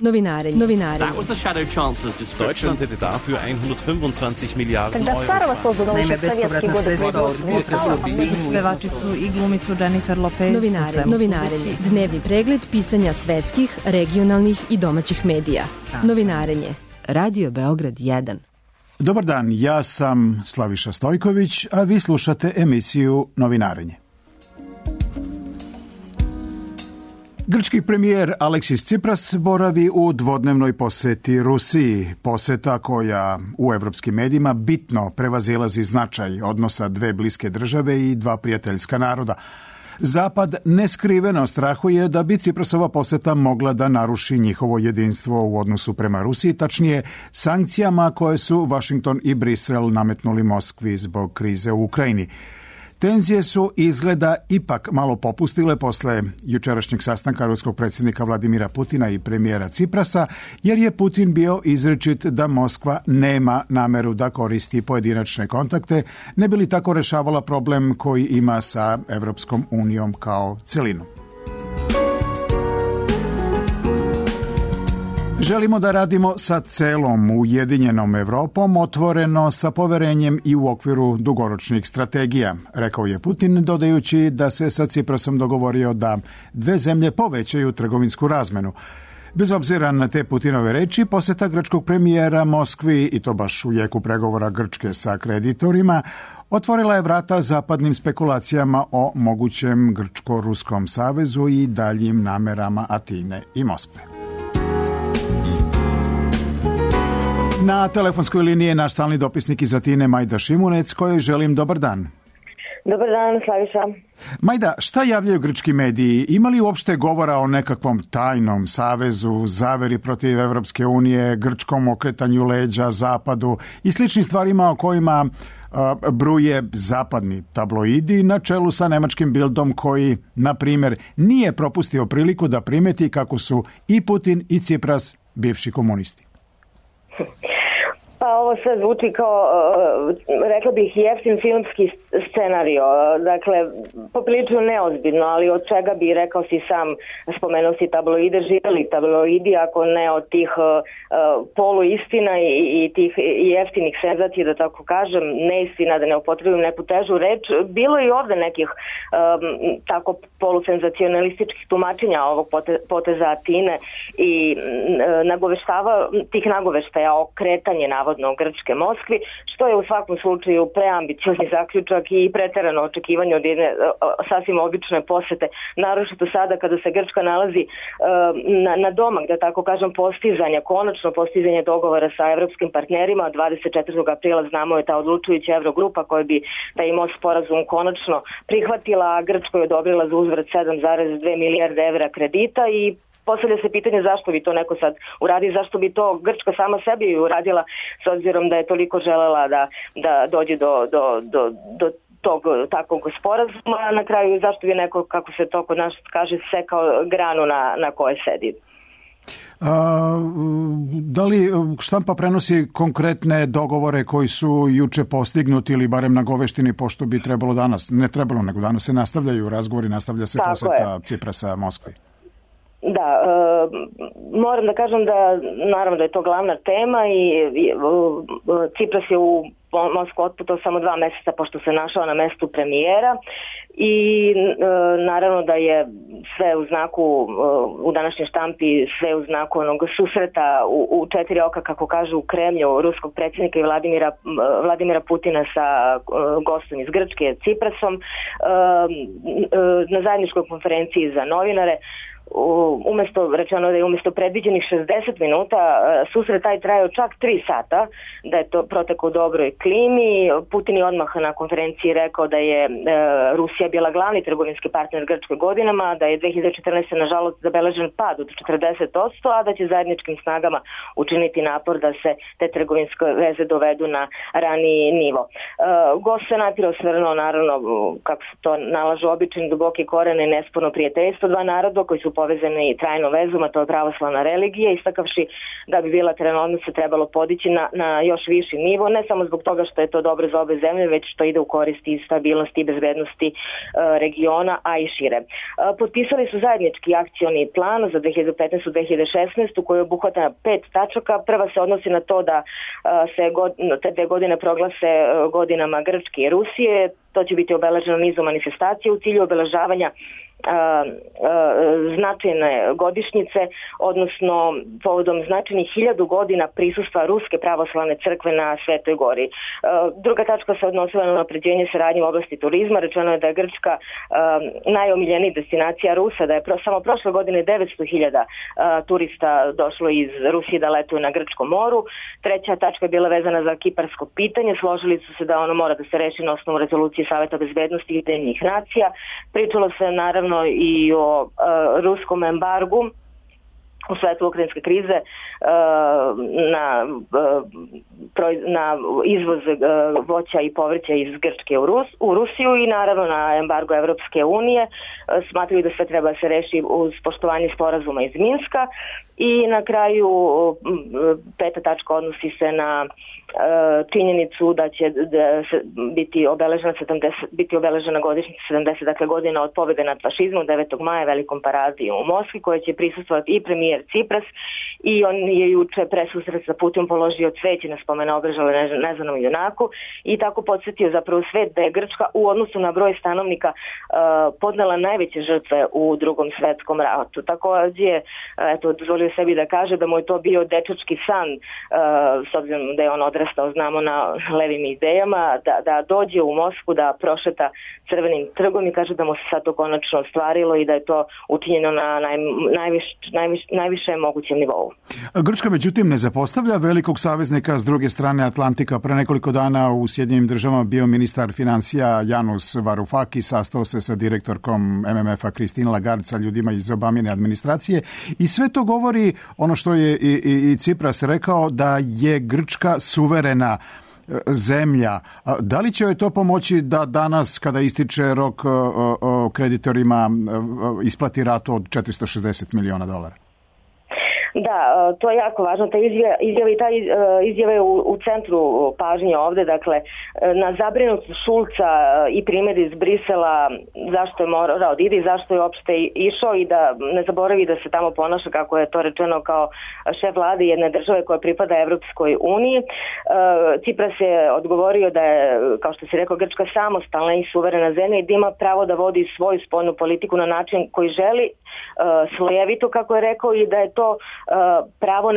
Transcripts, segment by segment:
Novinare. That was the Shadow Chancellor's description. Deutschland hätte dafür 125 Milijarden Когда Старого создано еще в советские годы Pevačicu i glumicu Jennifer Lopez. Novinarenje. Dnevni pregled pisanja svetskih, regionalnih i domaćih medija. Novinarenje. Radio Beograd 1. Dobar dan, ja sam Slaviša Stojković, a vi slušate emisiju Novinarenje. Grčki premijer Aleksis Tsipras boravi u dvodnevnoj poseti Rusiji. Poseta koja u evropskim medijima bitno prevazilazi značaj odnosa dve bliske države i dva prijateljska naroda. Zapad neskriveno strahuje da bi Tsiprasova poseta mogla da naruši njihovo jedinstvo u odnosu prema Rusiji, tačnije sankcijama koje su Washington i Brisel nametnuli Moskvi zbog krize u Ukrajini. Tenzije su izgleda ipak malo popustile posle jučerašnjeg sastanka ruskog predsjednika Vladimira Putina i premijera Tsiprasa, jer je Putin bio izričit da Moskva nema nameru da koristi pojedinačne kontakte, ne bi li tako rešavala problem koji ima sa Evropskom unijom kao celinom. Želimo da radimo sa celom ujedinjenom Evropom, otvoreno sa poverenjem i u okviru dugoročnih strategija, rekao je Putin, dodajući da se sa Tsiprasom dogovorio da dve zemlje povećaju trgovinsku razmenu. Bez obzira na te Putinove reči, poseta grčkog premijera Moskvi, i to baš u jeku pregovora Grčke sa kreditorima, otvorila je vrata zapadnim spekulacijama o mogućem Grčko-Ruskom savezu i daljim namerama Atine i Moskve. Na telefonskoj liniji je naš stalni dopisnik iz Atine Majda Šimunec, kojoj želim dobar dan. Dobar dan, Slaviša. Majda, šta javljaju grčki mediji? Ima li uopšte govora o nekakvom tajnom savezu, zaveri protiv Evropske unije, grčkom okretanju leđa, zapadu i sličnim stvarima o kojima bruje zapadni tabloidi na čelu sa nemačkim Bildom koji, na primjer, nije propustio priliku da primeti kako su i Putin i Tsipras bivši komunisti? Pa ovo sve zvuči kao, rekla bih, jeftin filmski scenario. Dakle, poprilično neozbiljno, ali od čega bi, rekao si sam, spomenuo si tabloide, živjeli tabloidi, ako ne od tih poluistina i tih jeftinih senzacija, da tako kažem, neistina, da ne upotrebim neku težu reč. Bilo je i ovde nekih tako polusenzacionalističkih tumačenja ovog poteza Atine i tih nagoveštaja o kretanju navodno Grčke Moskvi, što je u svakom slučaju preambiciozni zaključak i preterano očekivanje od jedne sasvim obične posete, naročito sada kada se Grčka nalazi na domak, da tako kažem, konačno postizanje dogovora sa evropskim partnerima. 24. aprila znamo je ta odlučujuća Evrogrupa koja bi taj most sporazum konačno prihvatila, a Grčkoj odobrila za uzvrat 7,2 milijarde evra kredita i postavlja se pitanje zašto bi to neko sad uradi, zašto bi to Grčka sama sebi uradila, s obzirom da je toliko želela da dođe do tog takvog sporazuma, a na kraju zašto bi neko, kako se to kod nas kaže, sekao granu na kojoj sedi. Da li štampa prenosi konkretne dogovore koji su juče postignuti ili barem nagovešteni, pošto bi trebalo danas, ne trebalo nego danas se nastavljaju razgovori, nastavlja se poseta Tsiprasa Moskvi? Da, moram da kažem da naravno da je to glavna tema i Tsipras je u Moskvu otputao samo 2 meseca pošto se našao na mestu premijera i naravno da je sve u znaku, u današnjoj štampi, sve u znaku onog susreta u 4 oka, kako kažu u Kremlju, ruskog predsjednika i Vladimira Putina sa gostom iz Grčke, Tsiprasom, na zajedničkoj konferenciji za novinare. Rečeno da je umjesto predviđenih 60 minuta susret taj trajao čak 3 sata, da je to proteklo u dobroj klimi. Putin je odmah na konferenciji rekao da je Rusija bila glavni trgovinski partner Grčkoj godinama, da je 2014. nažalost zabeležen pad od 40%, a da će zajedničkim snagama učiniti napor da se te trgovinske veze dovedu na raniji nivo. Gost se najprije osvrnuo, naravno, kako se to nalažu obični duboki korene i nesporno prijateljstvo dva naroda koji su povezani trajnom vezom, a to je pravoslavna religija, istakavši da bi bilateralne odnose trebalo podići na još viši nivo, ne samo zbog toga što je to dobro za obe zemlje, već što ide u korist i stabilnosti i bezbednosti regiona, a i šire. Potpisali su zajednički akcioni plan za 2015-2016 koji obuhvata 5 tačaka. Prva se odnosi na to da se te 2 godine proglase godinama Grčke i Rusije. To će biti obeleženo nizom manifestacije u cilju obeležavanja značajne godišnjice, odnosno povodom značajnih 1000 godina prisustva Ruske pravoslavne crkve na Svetoj gori. Druga tačka se odnosila na unapređenje saradnje u oblasti turizma. Rečeno je da je Grčka najomiljenija destinacija Rusa, da je samo prošle godine 900.000 turista došlo iz Rusije da letuju na Grčkom moru. Treća tačka je bila vezana za kiparsko pitanje. Složili su se da ono mora da se reši na osnovu rezolucije Saveta bezbednosti i Ujedinjenih nacija. Pričalo se naravno i o ruskom embargu u svetlu ukrajinske krize na izvoz voća i povrća iz Grčke u Rusiju i naravno na embargo Evropske unije. Smatraju da sve treba se reši uz poštovanje sporazuma iz Minska. I na kraju 5. tačka odnosi se na činjenicu da će biti obeležena godišnjica 70 dakle godina od pobjede nad fašizmom 9. maja velikom paradi u Moskvi, koje će prisustvovati i premijer Cipras, i on je juče pre susret sa Putinom položio cveće na spomen obeležale neznanom junaku i tako podsjetio zapravo svet da je Grčka u odnosu na broj stanovnika podnela najveće žrtve u Drugom svetskom ratu. Takođe, dozvolio sebi da kaže da mu je to bio dečački san, s obzirom da je on odrastao, znamo, na levim idejama, da dođe u Moskvu, da prošeta Crvenim trgom, i kaže da mu se sad to konačno ostvarilo i da je to učinjeno na najviše mogućem nivou. Grčka međutim ne zapostavlja velikog saveznika s druge strane Atlantika. Pre nekoliko dana u Sjedinjenim državama bio ministar financija Janus Varoufakis, sastao se sa direktorkom MMF-a Christine Lagarde, sa ljudima iz Obamine administracije, i sve to govori ono što je i Cipras rekao, da je Grčka suverena zemlja. Da li će joj to pomoći da danas, kada ističe rok kreditorima, isplati ratu od $460 miliona? Da, to je jako važno. Ta izjava je u centru pažnje ovde, dakle, na zabrinutost Šulca i primjeri iz Brisela zašto je morao da ide i zašto je uopšte išao, i da ne zaboravi da se tamo ponaša, kako je to rečeno, kao šef vlade jedne države koja pripada Evropskoj uniji. Cipras je odgovorio da je, kao što si rekao, Grčka samostalna i suverena zemlja i da ima pravo da vodi svoju spoljnu politiku na način koji želi, slojevito, kako je rekao, i da je to pravo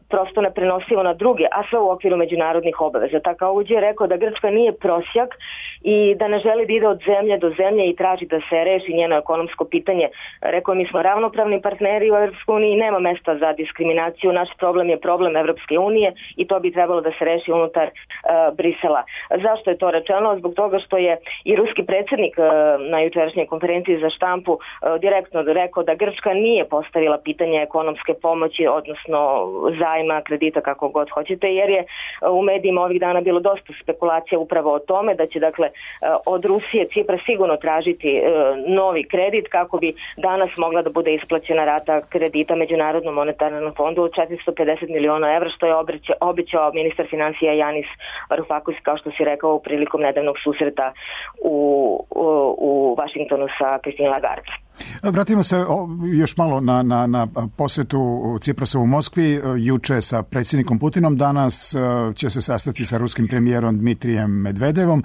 prosto neprenosivo na druge, a sve u okviru međunarodnih obaveza. Takođe je rekao da Grčka nije prosjak i da ne želi da ide od zemlje do zemlje i traži da se reši njeno ekonomsko pitanje. Rekao, mi smo ravnopravni partneri u Evropskoj uniji i nema mesta za diskriminaciju. Naš problem je problem Evropske unije i to bi trebalo da se reši unutar Brisela. Zašto je to rečeno? Zbog toga što je i ruski predsjednik na jučerašnjoj konferenciji za štampu direktno rekao da Grčka nije postavila pitanje ekonomske pomoći, odnosno zajma, kredita, kako god hoćete, jer je u medijima ovih dana bilo dosta spekulacija upravo o tome da će, dakle, od Rusije Cipra sigurno tražiti novi kredit kako bi danas mogla da bude isplaćena rata kredita Međunarodnom monetarnom fondu od $450 miliona evra, što je obećao ministar financija Janis Varoufakis, kao što si rekao, prilikom nedavnog susreta u Vašingtonu sa Christine Lagarde. Vratimo se još malo na posjetu Ciprasa u Moskvi. Juče sa predsjednikom Putinom, danas će se sastati sa ruskim premijerom Dmitrijem Medvedevom.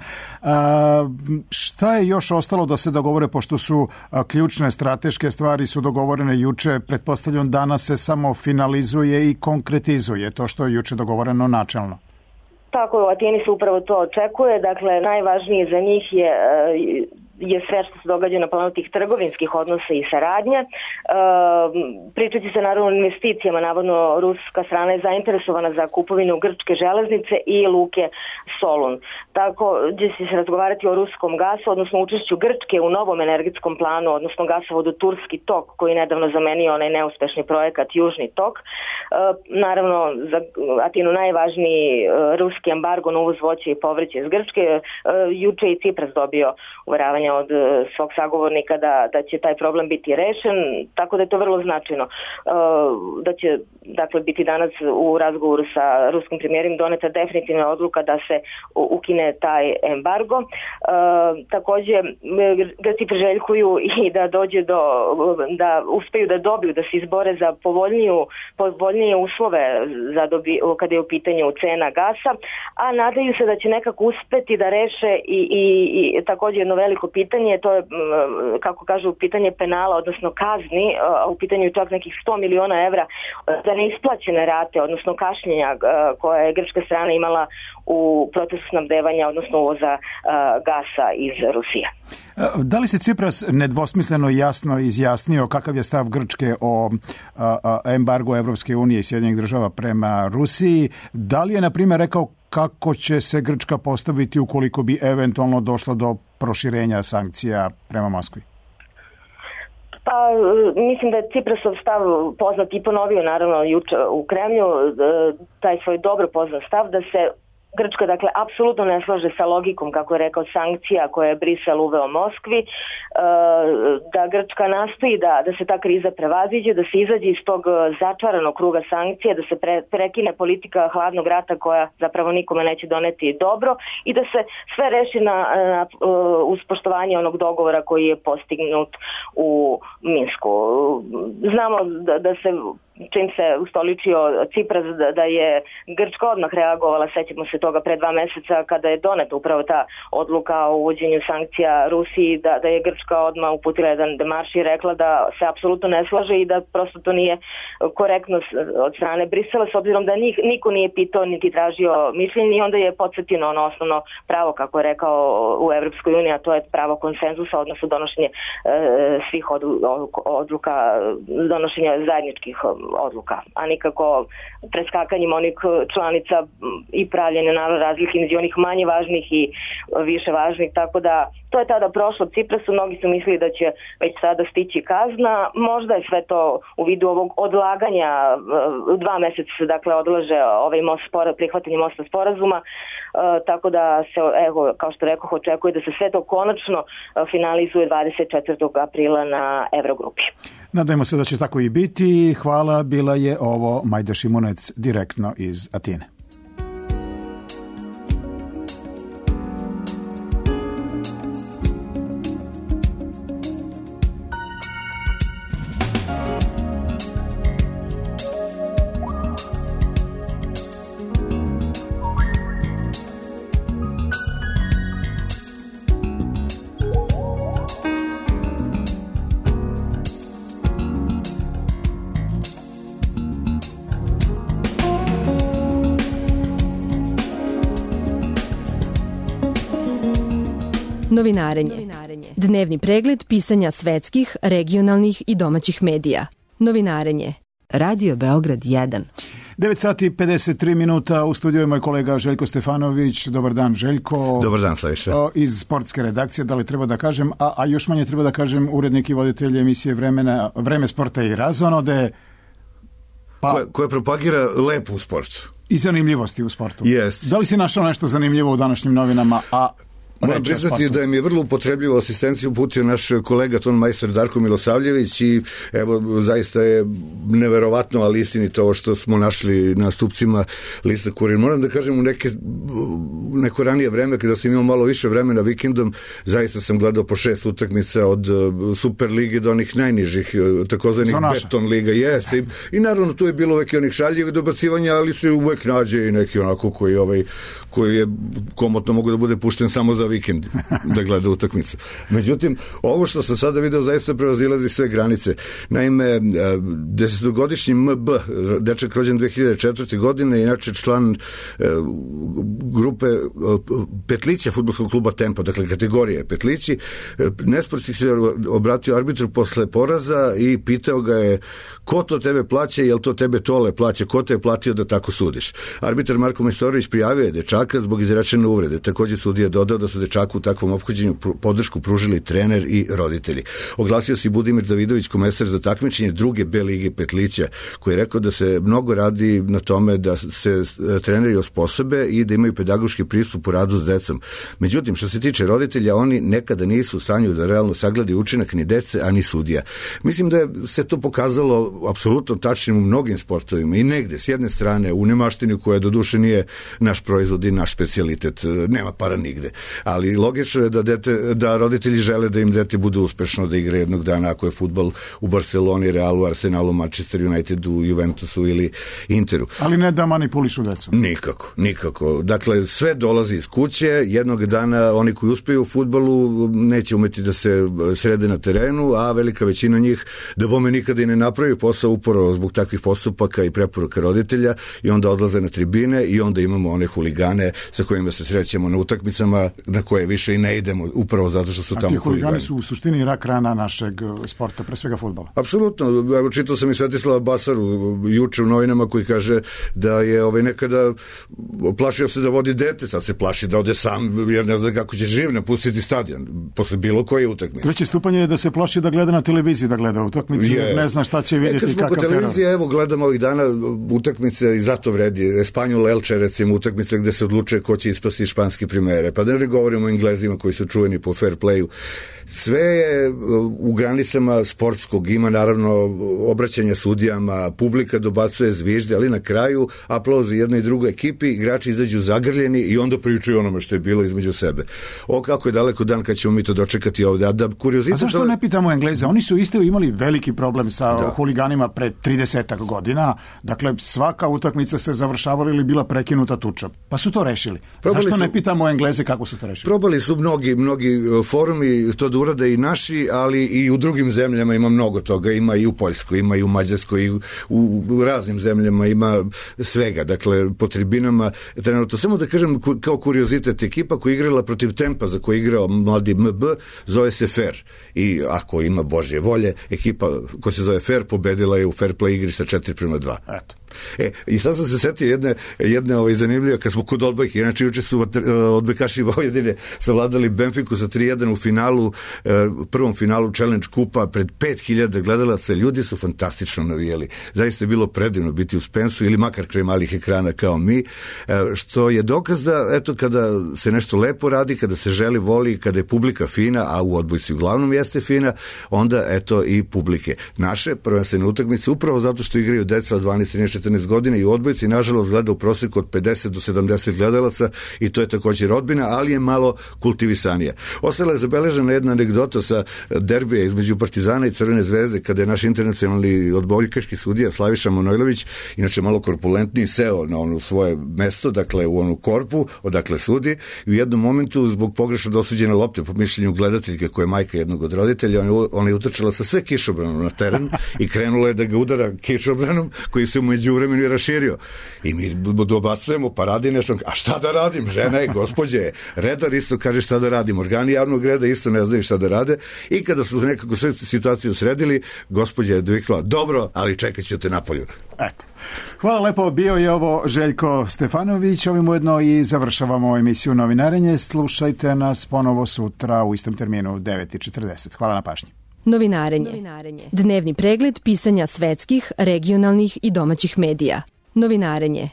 Šta je još ostalo da se dogovore, pošto su ključne strateške stvari su dogovorene juče? Pretpostavljam danas se samo finalizuje i konkretizuje to što je juče dogovoreno načelno. Tako je, u Atini se upravo to očekuje. Dakle, najvažnije za njih je sve što se događa na planu tih trgovinskih odnosa i saradnje. Pričat će se naravno o investicijama. Navodno, ruska strana je zainteresovana za kupovinu grčke železnice i luke Solun. Tako će se razgovarati o ruskom gasu, odnosno učešću Grčke u novom energetskom planu, odnosno gasovodu Turski tok, koji je nedavno zamenio onaj neuspešni projekat Južni tok. Naravno, za Atinu najvažniji ruski embargo na uvoz voća i povrća iz Grčke. Juče i Cipras dobio uveravanje od svog sagovornika da će taj problem biti rešen, tako da je to vrlo značajno. Da će dakle biti danas u razgovoru sa ruskim premijerom doneta definitivna odluka da se ukine taj embargo. Takođe, Grci priželjkuju i da dođe da uspeju da dobiju, da se izbore za povoljnije uslove kada je u pitanju cena gasa, a nadaju se da će nekako uspeti da reše i takođe jedno veliko pitanje, to je, kako kažu, pitanje penala, odnosno kazni, u pitanju čak nekih 100 miliona evra za neisplaćene rate, odnosno kašnjenja koje je grčka strana imala u procesu snabdevanja, odnosno uvoza gasa iz Rusije. Da li se Cipras nedvosmisleno jasno izjasnio kakav je stav Grčke o embargu Evropske unije i Sjedinjenih država prema Rusiji? Da li je, na primjer, rekao kako će se Grčka postaviti ukoliko bi eventualno došlo do proširenja sankcija prema Moskvi? Pa mislim da je Ciprasov stav poznat i ponovio naravno juče u Kremlju, taj svoj dobro poznat stav da se Grčka, dakle, apsolutno ne slaže sa logikom, kako je rekao, sankcija koje je Brisel uveo Moskvi, da Grčka nastoji da se ta kriza prevaziđe, da se izađe iz tog začaranog kruga sankcija, da se prekine politika hladnog rata koja zapravo nikome neće doneti dobro i da se sve reši uz poštovanje onog dogovora koji je postignut u Minsku. Znamo da se čim se ustoličio Cipras da je Grčka odmah reagovala, sećamo se toga pre 2 meseca kada je doneta upravo ta odluka o uvođenju sankcija Rusiji, da je Grčka odmah uputila jedan demarš i rekla da se apsolutno ne slaže i da prosto to nije korektno od strane Brisela, s obzirom da niko nije pitao niti tražio mišljenje i onda je podsjetio na ono osnovno pravo, kako je rekao, u Evropskoj uniji, a to je pravo konsenzusa, odnosno donošenje svih odluka, donošenja zajedničkih odluka, a nikako preskakanjem onih članica i pravljenje naravno razlike između onih manje važnih i više važnih, tako da to je tada prošlo Ciprasu, mnogi su mislili da će već sada stići kazna, možda je sve to u vidu ovog odlaganja, 2 meseca se dakle odlaže ovaj prihvatanje mosta sporazuma, tako da se, evo, kao što rekoh, očekuje da se sve to konačno finalizuje 24. aprila na Evrogrupi. Nadajmo se da će tako i biti. Hvala, bila je ovo Majda Šimunec direktno iz Atine. Novinarenje. Dnevni pregled pisanja svetskih, regionalnih i domaćih medija. Novinarenje. Radio Beograd 1. 9 sati 53 minuta, u studiju je moj kolega Željko Stefanović. Dobar dan, Željko. Dobar dan, Slaviša. Iz sportske redakcije, da li treba da kažem, a još manje treba da kažem, urednik i voditelj emisije Vreme sporta i razonode. Koja propagira lepo u sportu. I zanimljivosti u sportu. Jest. Da li si našao nešto zanimljivo u današnjim novinama, moram priznati da mi je vrlo upotrebljivu asistenciju uputio naš kolega tonmajster Darko Milosavljević i evo zaista je neverovatno, ali istinito ovo što smo našli na stupcima lista Kurir. Moram da kažem, u neko ranije vreme kada sam imao malo više vremena vikendom, zaista sam gledao po 6 utakmica od Super lige do onih najnižih takozvanih beton liga. I naravno tu je bilo uvek i onih šaljivih dobacivanja, ali se uvek nađe i neki onako koji je komotno mogu da bude pušten samo za vikend da gleda utakmicu. Međutim, ovo što sam sada video zaista prevazilazi sve granice. Naime, 10-godišnji MB, dečak rođen 2004. godine, inače član grupe Petlića fudbalskog kluba Tempo, dakle kategorije Petlići, nesportski se obratio arbitru posle poraza i pitao ga je ko to tebe plaća, jel to tebe Tole plaća, ko te je platio da tako sudiš. Arbitar Marko Majstorović prijavio je dečaka zbog izrečene uvrede. Takođe sudija dodao da su su dečaku u takvom ophođenju podršku pružili trener i roditelji. Oglasio se i Budimir Davidović, komesar za takmičenje druge B lige Petlića, koji je rekao da se mnogo radi na tome da se treneri osposobe i da imaju pedagoški pristup u radu s decom. Međutim, što se tiče roditelja, oni nekada nisu u stanju da realno sagledi učinak ni dece, a ni sudija. Mislim da se to pokazalo apsolutno tačnim u mnogim sportovima i negde, s jedne strane, u nemaštini koja doduše nije naš proizvod i naš specijalitet, nema para nigde. Ali logično je da roditelji žele da im dete bude uspešno, da igra jednog dana ako je fudbal u Barceloni, Realu, Arsenalu, Manchester Unitedu, Juventusu ili Interu. Ali ne da manipulišu decom. Nikako. Dakle, sve dolazi iz kuće, jednog dana oni koji uspeju u fudbalu neće umeti da se srede na terenu, a velika većina njih da bome nikada i ne napravi posao upravo zbog takvih postupaka i preporuka roditelja i onda odlaze na tribine i onda imamo one huligane sa kojima se srećemo na utakmicama na koje više i ne idemo upravo zato što su tamo huligani. A ti huligani su u suštini rak rana našeg sporta, pre svega fudbala. Apsolutno. Evo, čitao sam i Svetislava Basaru juče u novinama koji kaže da je nekada plašio se da vodi dete, sad se plaši da ode sam jer ne zna kako će živ napustiti stadion posle bilo koje utakmice. Treće stupanje je da se plaši da gleda na televiziji, da gleda utakmicu, ne zna šta će vidjeti. Kad smo po televiziji, evo gledamo ovih dana utakmice i zato vredi. Espanjol Elche, recimo, utakmice gde se odlučuje ko će ispasti španski primere. Pa da ne govorimo o Englezima koji su čuveni po fair playu. Sve je u granicama sportskog, ima naravno obraćanja sudijama, publika dobacuje, zvižde, ali na kraju aplauzi jednoj i drugoj ekipi, igrači izađu zagrljeni i onda pričaju onome što je bilo između sebe. Kako je daleko dan kad ćemo mi to dočekati ovde. A zašto ne pitamo Engleze? Oni su isto imali veliki problem sa huliganima pre 30 godina. Dakle, svaka utakmica se završavala ili bila prekinuta tuča. Pa su to rešili. Zašto ne pitamo Engleze kako su to rešili? Probali su mnogi forumi to da urade i naši, ali i u drugim zemljama ima mnogo toga. Ima i u Poljskoj, ima i u Mađarskoj, i u raznim zemljama ima svega. Dakle, po tribinama trenutno. Samo da kažem kao kuriozitet, ekipa koja je igrala protiv Tempa, za koju je igrao mladi MB, zove se Fair. I ako ima Božje volje, ekipa koja se zove Fair pobedila je u fair play igri sa 4:2. Eto. I sad sam se setio jedne zanimljive, kad smo kod odbojke, inače juče su odbojkaši Vojvodine savladali Benfiku sa 3:1 u finalu, prvom finalu Challenge kupa pred 5000 gledalaca. Ljudi su fantastično navijali. Zaista je bilo predivno biti u Spensu ili makar kraj malih ekrana kao mi, što je dokaz da eto, kada se nešto lepo radi, kada se želi, voli, kada je publika fina, a u odbojci uglavnom jeste fina, onda eto i publike. Naše prvenstvene utakmice upravo zato što igraju deca od 12, 13, 14 godina i u odbojci nažalost gleda u proseku od 50 do 70 gledalaca i to je također rodbina, ali je malo kultivisanija. Ostala je zabeležena jedna anegdota sa derbija između Partizana i Crvene zvezde, kada je naš internacionalni odbojkaški sudija Slaviša Manojlović, inače malo korpulentniji, seo na ono svoje mesto, dakle u onu korpu odakle sudi, i u jednom momentu zbog pogrešno dosuđene lopte po mišljenju gledateljke koja je majka jednog od roditelja, ona je utrčala sa sve kišobranom na teren i krenula je da ga udara kišobranom koji se umeđu vremenu je raširio. I mi dobacujemo, pa radi nešto. A šta da radim? Žena je, gospođe, redar isto kaže šta da radim. Organi javnog reda isto ne znaju šta da rade. I kada su nekako sve situaciju sredili, gospođa je dovikla, dobro, ali čekat ću te napolju. Eto. Hvala lepo, bio je ovo Željko Stefanović. Ovim ujedno i završavamo emisiju Novinarenje. Slušajte nas ponovo sutra u istom terminu 9:40. Hvala na pažnji. Novinarenje. Dnevni pregled pisanja svetskih, regionalnih i domaćih medija. Novinarenje.